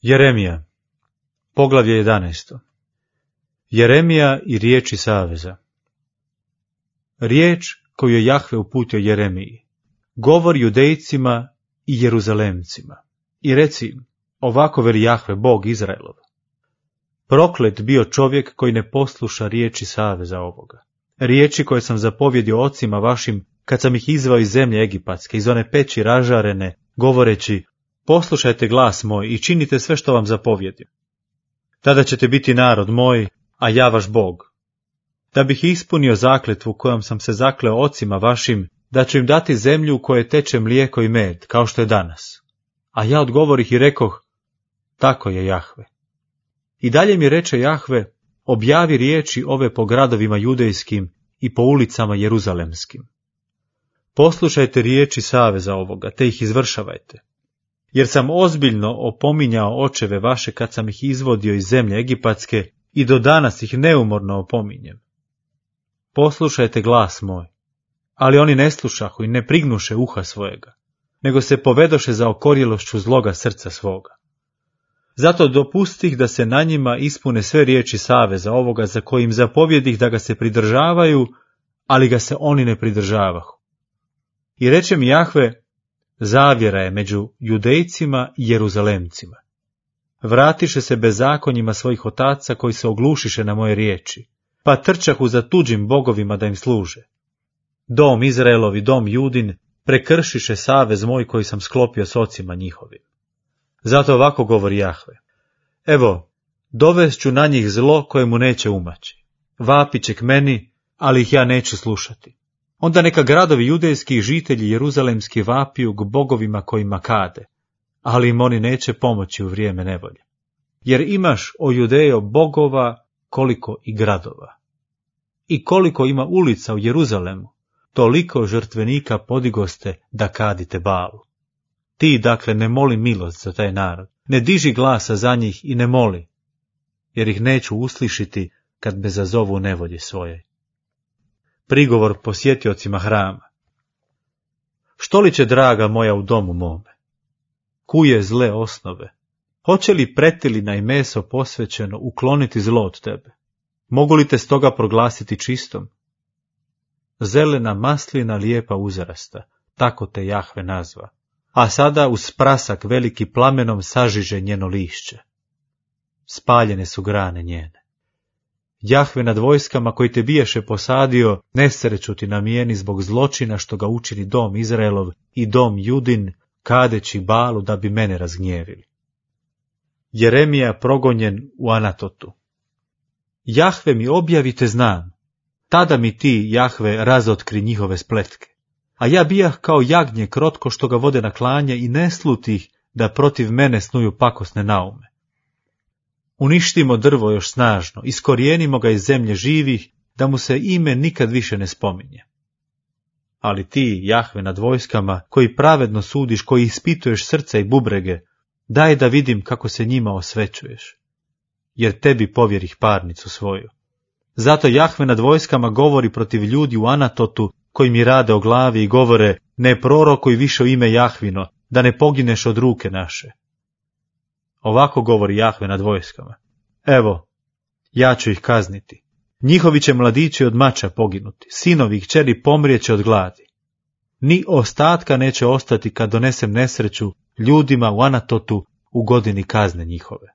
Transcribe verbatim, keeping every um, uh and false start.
Jeremija, poglavlje jedanaesto. Jeremija i riječi saveza. Riječ koju je Jahve uputio Jeremiji, govori Judejcima i Jeruzalemcima. I reci im, ovako veli Jahve, Bog Izraelov. Proklet bio čovjek koji ne posluša riječi saveza ovoga. Riječi koje sam zapovjedio ocima vašim, kad sam ih izvao iz zemlje Egipatske, iz one peći ražarene, govoreći, poslušajte glas moj i činite sve što vam zapovjedim. Tada ćete biti narod moj, a ja vaš Bog. Da bih ispunio zakletvu kojom sam se zakleo ocima vašim, da ću im dati zemlju u kojoj teče mlijeko i med, kao što je danas. A ja odgovorih i rekoh, tako je Jahve. I dalje mi reče Jahve, objavi riječi ove po gradovima judejskim i po ulicama jeruzalemskim. Poslušajte riječi saveza ovoga, te ih izvršavajte. Jer sam ozbiljno opominjao očeve vaše kad sam ih izvodio iz zemlje Egipatske i do danas ih neumorno opominjem. Poslušajte glas moj, ali oni ne slušahu i ne prignuše uha svojega, nego se povedoše za okorjelošću zloga srca svoga. Zato dopustih da se na njima ispune sve riječi saveza ovoga za kojim zapovjedih da ga se pridržavaju, ali ga se oni ne pridržavahu. I reče mi Jahve, zavjera je među Judejcima i Jeruzalemcima. Vratiše se bezakonjima svojih otaca koji se oglušiše na moje riječi, pa trčahu za tuđim bogovima da im služe. Dom Izraelov i dom Judin prekršiše savez moj koji sam sklopio s ocima njihovim. Zato ovako govori Jahve. Evo, dovest na njih zlo koje mu neće umaći. Vapit će k meni, ali ih ja neću slušati. Onda neka gradovi judejski i žitelji jeruzalemski vapiju k bogovima kojima kade, ali im oni neće pomoći u vrijeme nevolje. Jer imaš, o Judejo, bogova koliko i gradova. I koliko ima ulica u Jeruzalemu, toliko žrtvenika podigoste da kadite Balu. Ti, dakle, ne moli milost za taj narod, ne diži glasa za njih i ne moli, jer ih neću uslišiti kad me zazovu nevolje svoje. Prigovor posjetiocima hrama. Što li će, draga moja, u domu mome? Kuje zle osnove? Hoće li pretilina i meso posvećeno ukloniti zlo od tebe? Mogu li te stoga proglasiti čistom? Zelena maslina lijepa uzrasta, tako te Jahve nazva. A sada uz prasak veliki plamenom sažiže njeno lišće. Spaljene su grane njene. Jahve nad vojskama koji te biješe posadio, nesreću ti namijeni zbog zločina što ga učini dom Izraelov i dom Judin, kadeći Balu da bi mene razgnjevili. Jeremija progonjen u Anatotu. Jahve mi objavite znam, tada mi ti, Jahve, razotkri njihove spletke. A ja bijah kao jagnje krotko što ga vode na klanje i ne slutih da protiv mene snuju pakosne naume. Uništimo drvo još snažno, iskorijenimo ga iz zemlje živih, da mu se ime nikad više ne spominje. Ali ti, Jahve nad vojskama, koji pravedno sudiš, koji ispituješ srca i bubrege, daj da vidim kako se njima osvećuješ, jer tebi povjerih parnicu svoju. Zato Jahve nad vojskama govori protiv ljudi u Anatotu, koji mi rade o glavi i govore, ne prorokuj više o ime Jahvino, da ne pogineš od ruke naše. Ovako govori Jahve nad vojskama. Evo, ja ću ih kazniti. Njihovi će mladići od mača poginuti, sinovi i kćeri pomrijeće od gladi. Ni ostatka neće ostati kad donesem nesreću ljudima u Anatotu u godini kazne njihove.